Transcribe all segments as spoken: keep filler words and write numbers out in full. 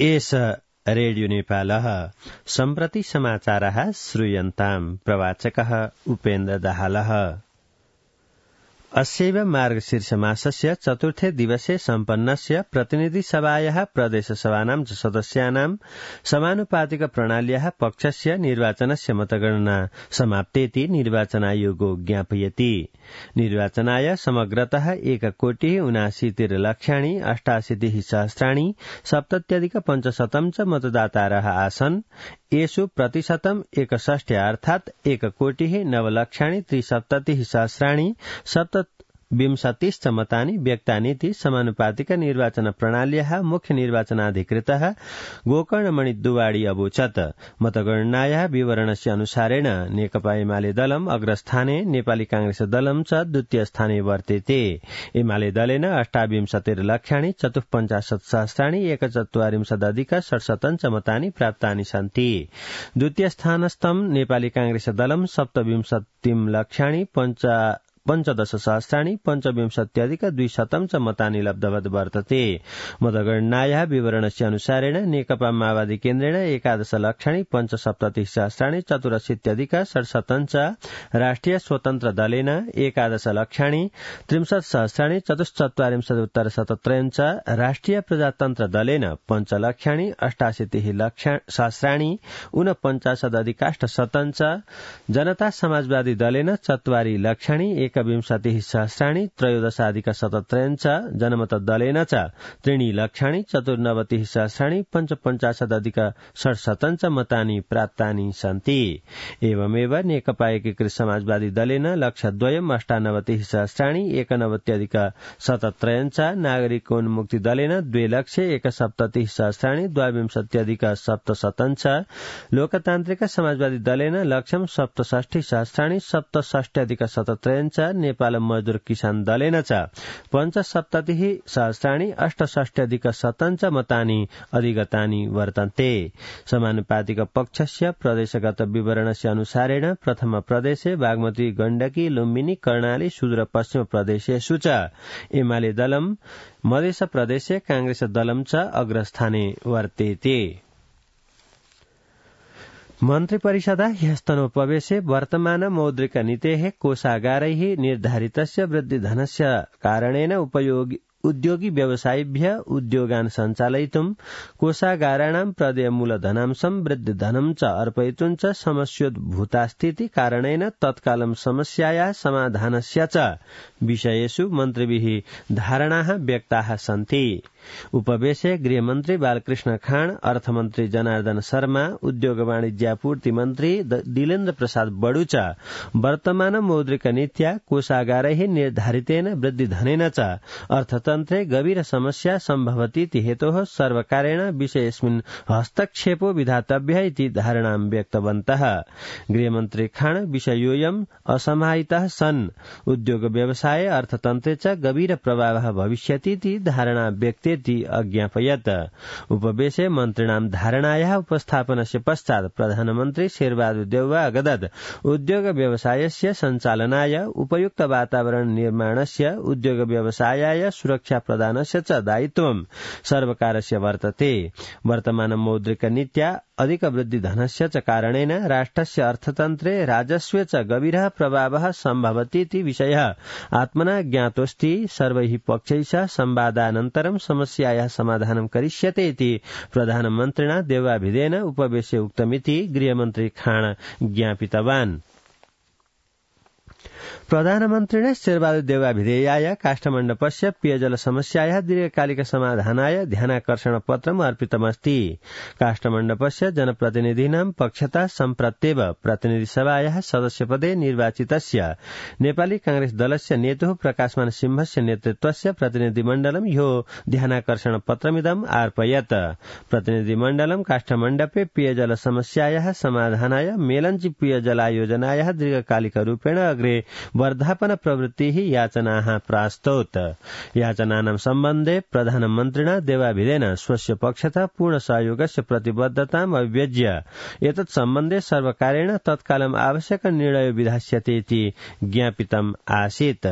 एष रेडियो नेपालः सम्प्रति समाचारः श्रूयन्ताम् प्रवाचकः उपेन्द्र दाहालः। अस्यैव मार्गशीर्षमासस्य चतुर्थे दिवसे सम्पन्नस्य प्रतिनिधिसभायाः प्रदेशसभानां च सदस्यानां समानुपातिक प्रणाल्याः पक्षस्य निर्वाचनस्य मतगणना समाप्तेति निर्वाचनायोगो ज्ञापयति। निर्वाचनाय समग्रतः एककोटिः ऊनाशीतिः लक्षाणि अष्टाशीतिः सहस्राणि सप्तत्यधिक पञ्चशतं च मतदातारः आसन्। येषु प्रतिशतम् एकषष्ट्या अर्थात् एककोटिः नवलक्षाणि त्रिसप्ततिः सहस्राणि सप्त विंशतिश्च मतानि व्यक्तानीति समानुपातिक निर्वाचन प्रणाल्याः मुख्य निर्वाचनाधिकृतः गोकर्णमणि दुवाडी अवोचत्। मतगणनायाः विवरणस्य अनुसारेण नेकपा एमाले दलम् अग्रस्थाने, नेपाली कांग्रेस दलम् च द्वितीयस्थाने वर्तेते। एमाले दलेन अष्टाविंशतिर्लक्षाणि चतुःपञ्चाशत् सहस्राणि एकचत्वारिंशदधिक षट्शतं च मतानि प्राप्तानि सन्ति। द्वितीयस्थानस्थं नेपाली कांग्रेस दलम् सप्तविंशतिं लक्षाणि पञ्च पञ्चदश सहस्राणि पञ्चविंशत्यधिक द्विशतं च मतानि लब्धवत् वर्तते। मतगणनायाः विवरणस्य अनुसारेण नेकपा माओवादी केन्द्रेण एकादश लक्षाणि पञ्चसप्ततिः सहस्राणि चतुरशीत्यधिक षट्शतं च, राष्ट्रिय स्वतन्त्र दलेन एकादश लक्षाणि त्रिंशत् सहस्राणि चतुश्चत्वारिंशदुत्तर शतत्रयं च, राष्ट्रिय प्रजातन्त्र दलेन पञ्चलक्षाणि अष्टाशीतिः सहस्राणि ऊनपञ्चाशदधिकाष्टशतं च, जनता समाजवादी दलेन चत्वारि लक्षाणि एकविंशतिः सहस्राणि त्रयोदशाधिक शतत्रयं च, जनमत दलेन च त्रीणि लक्षाणि चतुर्नवतिः सहस्राणि पञ्चपञ्चाशदधिक षट्शतं च मतानि प्राप्तानि सन्ति। एवमेव नेकपा एकीकृत समाजवादी दलेन लक्षद्वयम् अष्टानवतिः सहस्राणि एकनवत्यधिक शतत्रयं च, नागरिकोन्मुक्ति दलेन द्वे लक्षे एकसप्ततिः सहस्राणि द्वाविंशत्यधिक सप्तशतं च, लोकतान्त्रिक समाजवादी दलेन लक्षं सप्तषष्टि सहस्राणि सप्तषष्ट्यधिक शतत्रयं च, नेपाल मजदूर किसान दलेन च पञ्चसप्ततिः सहस्राणि अष्टषष्ट्यधिक शतं च मतानि अधिगतानि वर्तन्ते। समानुपातिक पक्षस्य प्रदेशगत विवरणस्य अनुसारेण प्रथम प्रदेशे बागमती, गण्डकी, लुम्बिनी, कर्णाली, सुदूर पश्चिम प्रदेशेषु च एमाले दलम्, मध्य प्रदेशे कांग्रेस दलम् च अग्रस्थाने वर्तेते। मन्त्रिपरिषदा ह्यस्तनोपवेशे वर्तमान मौद्रिक नीतेः कोषागारैः निर्धारितस्य वृद्धिधनस्य कारणेन उपयोगि उद्योगी व्यवसायिभ्य उद्योगान् सञ्चालयितुं कोषागाराणां प्रदेय मूलधनांशं वृद्धिधनं च अर्पयितुं च समस्योद्भूतास्थिति कारणेन तत्कालं समस्यायाः समाधानस्य च विषयेषु मन्त्रिभिः धारणाः व्यक्ताः सन्ति। उपवेशे गृहमन्त्री बालकृष्ण खाँड, अर्थमन्त्री जनार्दन शर्मा, उद्योग वाणिज्यापूर्ति मन्त्री दिलेन्द्र प्रसाद बडु च वर्तमान मौद्रिक नीत्या कोषागारैः निर्धारितेन वृद्धिधनेन च अर्थतन्त्रे गभीर समस्या सम्भवतीति हेतोः सर्वकारेण विषयेऽस्मिन् हस्तक्षेपो विधातव्यः इति धारणां व्यक्तवन्तः। गृहमन्त्री खाँड विषयोऽयम् असमाहितः सन् उद्योग व्यवसाय अर्थतन्त्रे च गभीर प्रभावः भविष्यतीति धारणा व्यक्तेति अज्ञापयत्। उपवेशे मन्त्रिणां धारणायाः उपस्थापनस्य पश्चात् प्रधानमन्त्री शेरबहादुर देउवा अगदद उद्योग व्यवसायस्य सञ्चालनाय उपयुक्त वातावरण निर्माणस्य उद्योग व्यवसायाय सुरक्षा प्रदानस्य च दायित्वं सर्वकारस्य वर्तते। वर्तमान मौद्रिक नीत्या अधिक वृद्धिधनस्य च कारणेन राष्ट्रस्य अर्थतन्त्रे राजस्वे च गभीरः प्रभावः सम्भवतीति विषयः आत्मना ज्ञातोऽस्ति। सर्वैः पक्षैः संवादानन्तरं समस्यायाः समाधानं करिष्यते इति प्रधानमन्त्रिणा देवाभिधेन उपवेशे उक्तमिति गृहमन्त्री खाँड ज्ञापितवान्। प्रधानमन्त्रिणे शेरबहादुर देउवाभिधेयाय काष्ठमण्डपस्य पेयजल समस्यायाः दीर्घकालिक समाधानाय ध्यानाकर्षण पत्रम् अर्पितमस्ति। काष्ठमण्डपस्य जनप्रतिनिधीनां पक्षतः सम्प्रत्येव प्रतिनिधिसभायाः सदस्यपदे निर्वाचितस्य नेपाली कांग्रेस दलस्य नेतुः प्रकाशमान सिंहस्य नेतृत्वस्य प्रतिनिधिमण्डलं ह्यो ध्यानाकर्षण पत्रमिदम् अर्पयत्। प्रतिनिधिमण्डलं काष्ठमण्डपे पेयजल समस्यायाः समाधानाय मेलञ्ची पेयजलायोजनायाः दीर्घकालिक रूपेण अग्रे वर्धापन प्रवृत्तिः याचनाः प्रास्तौत्। याचनानां सम्बन्धे प्रधानमन्त्रिणा देवाभिधेन स्वस्य पक्षतः पूर्ण सहयोगस्य प्रतिबद्धताम् अभिव्यज्य एतत् सम्बन्धे सर्वकारेण तत्कालम् आवश्यक निर्णयो विधास्यते इति ज्ञापितम् आसीत्।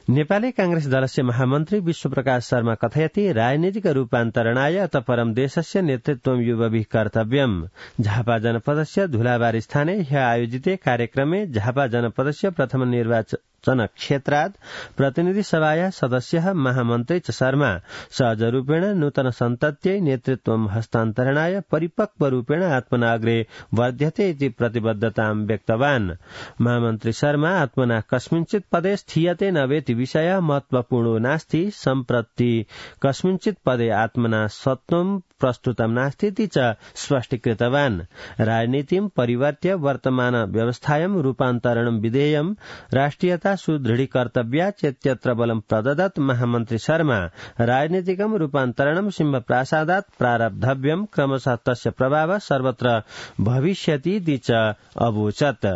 नेपाली कांग्रेस दलस्य महामन्त्री विश्वप्रकाश शर्मा कथयति राजनीतिक रूपान्तरणाय अत परं देशस्य नेतृत्वं युवभिः कर्तव्यम्। झापा जनपदस्य धुलाबारी स्थाने ह्य आयोजिते कार्यक्रमे झापा जनपदस्य प्रथम निर्वाचन क्षेत्रात् प्रतिनिधि सभाया सदस्यः महामन्त्री च शर्मा सहजरूपेण नूतन सन्तत्यै नेतृत्वं हस्तान्तरणाय परिपक्वरूपेण आत्मना अग्रे वर्ध्यते इति प्रतिबद्धतां व्यक्तवान्। महामन्त्री शर्मा आत्मना कस्मिंश्चित् पदे स्थीयते न वेति विषय महत्वपूर्णो नास्ति, सम्प्रति कस्मिंश्चित् पदे आत्मना सत्त्वं प्रस्तुतं नास्ति इति च स्पष्टीकृतवान्। राजनीतिं परिवर्त्य वर्तमान व्यवस्थायां रूपान्तरणं विधेयं राष्ट्रियता सुदृढीकर्तव्या चेत्यत्र बलं प्रददत् महामन्त्री शर्मा राजनीतिकं रूपान्तरणं सिंहप्रासादात् प्रारब्धव्यं क्रमशः तस्य प्रभावः सर्वत्र भविष्यति इति च अवोचत्।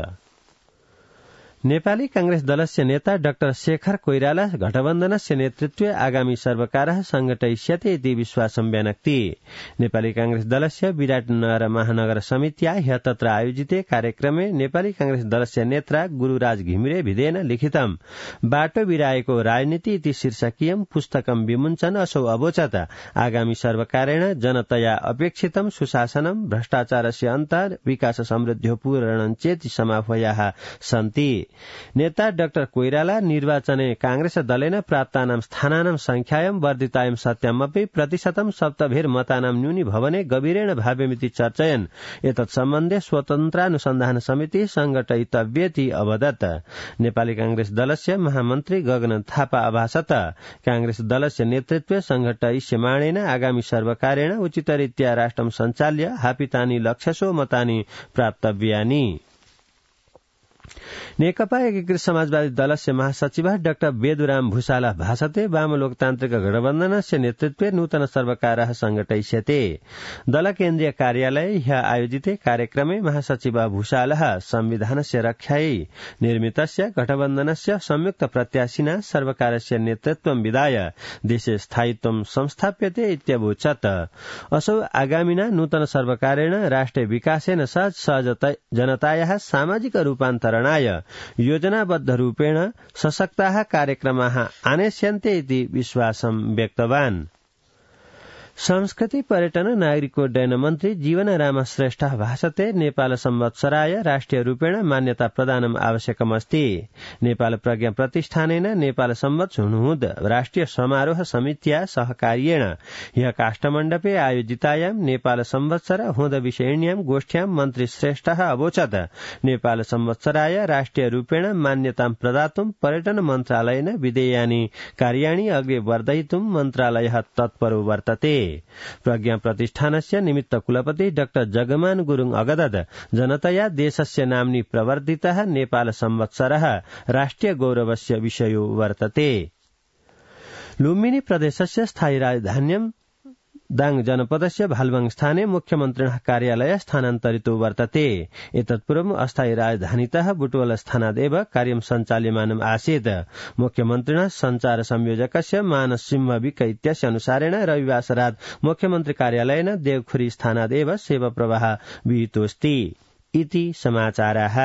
नेपाली कांग्रेस दलस्य नेता डाक्टर शेखर कोइराला गठबन्धनस्य नेतृत्वे आगामी सर्वकारः संघटयिष्यते इति विश्वासं व्यनक्ति। नेपाली कांग्रेस दलस्य विराटनगर महानगर समित्या ह्य तत्र आयोजिते कार्यक्रमे नेपाली कांग्रेस दलस्य नेता गुरुराज घिमिरे भिदेन लिखितं बाटो बिराएको राजनीति इति शीर्षकीयं पुस्तकं विमुञ्चन असौ अवोचत। आगामी सर्वकारेण जनतया अपेक्षितं सुशासनं भ्रष्टाचारस्य अन्त विकास समृद्ध्यो पूरणं चेति समाह्वयाः सन्ति। नेता डाक्टर कोइराला निर्वाचने कांग्रेस दलेन प्राप्तानां स्थानानां संख्यायां वर्धितायां सत्यामपि प्रतिशतं सप्तभिर् मतानां न्यूनी भवने गभीरेण भाव्यमिति चर्चयन् एतत् सम्बन्धे स्वतन्त्रानुसन्धान समिति संघटयितव्येति अवदत्। नेपाली कांग्रेस दलस्य महामन्त्री गगन थापा अभासत कांग्रेस दलस्य नेतृत्वे संघटयिष्यमाणेन आगामी सर्वकारेण उचितरीत्या राष्ट्रं सञ्चाल्य हापितानि लक्ष्यसो मतानि प्राप्तव्यानि। नेकपा एकीकृत समाजवादी दलस्य महासचिवः डाक्टर बेदुराम भूषाल भाषते वाम लोकतान्त्रिक गठबन्धनस्य नेतृत्वे नूतन सर्वकारः संघटयिष्यते। दल केन्द्रीय कार्यालये ह्य आयोजिते कार्यक्रमे महासचिवः भूषालः संविधानस्य रक्षायै निर्मितस्य गठबन्धनस्य संयुक्त प्रत्याशिना सर्वकारस्य नेतृत्वं विधाय देशे स्थायित्वं संस्थाप्यते इत्यवोचत्। असौ आगामिना नूतन सर्वकारेण राष्ट्रिय विकासेन सह सहज जनतायाः सामाजिक रूपान्तरणाय योजनाबद्ध रूपेण सशक्ताः कार्यक्रमाः आनेष्यन्ते इति विश्वासं व्यक्तवान्। संस्कृति पर्यटन नागरिकोड्डयन मन्त्री जीवन राम श्रेष्ठ भाषते नेपाल संवत्सराय राष्ट्रिय रूपेण मान्यता प्रदानम् आवश्यकमस्ति। नेपाल प्रज्ञा प्रतिष्ठानेन नेपाल संवत्स हुनुहुद राष्ट्रिय समारोह समित्या सहकार्येण ह्य काष्ठमण्डपे आयोजितायां नेपाल संवत्सर हुद विषयिण्यां गोष्ठ्यां मन्त्री श्रेष्ठः अवोचत् नेपाल संवत्सराय राष्ट्रिय रूपेण मान्यतां प्रदातुं पर्यटन मन्त्रालयेन विधेयानि कार्याणि अग्रे वर्धयितुं मन्त्रालयः तत्परो वर्तते। प्रज्ञा प्रतिष्ठानस्य निमित्त कुलपति डाक्टर जगमान गुरुङ अगदद जनतया देशस्य नाम्नि प्रवर्धितः नेपाल संवत्सरः राष्ट्रिय गौरवस्य विषयो वर्तते। लुम्बिनी प्रदेशस्य स्थायी राजधान्यं दाङ जनपदस्य भालुवाङ स्थाने मुख्यमन्त्रिणः कार्यालय स्थानान्तरितो वर्तते। एतत्पूर्वम् अस्थायी राजधानीतः बुटवल स्थानादेव कार्यं सञ्चाल्यमानम् आसीत्। मुख्यमन्त्रिणः सञ्चार संयोजकस्य मानस सिंह विक इत्यस्य अनुसारेण रविवासरात् मुख्यमन्त्री कार्यालयेन देवखुरी स्थानादेव सेवा प्रवाह विहितोऽस्ति इति समाचाराः।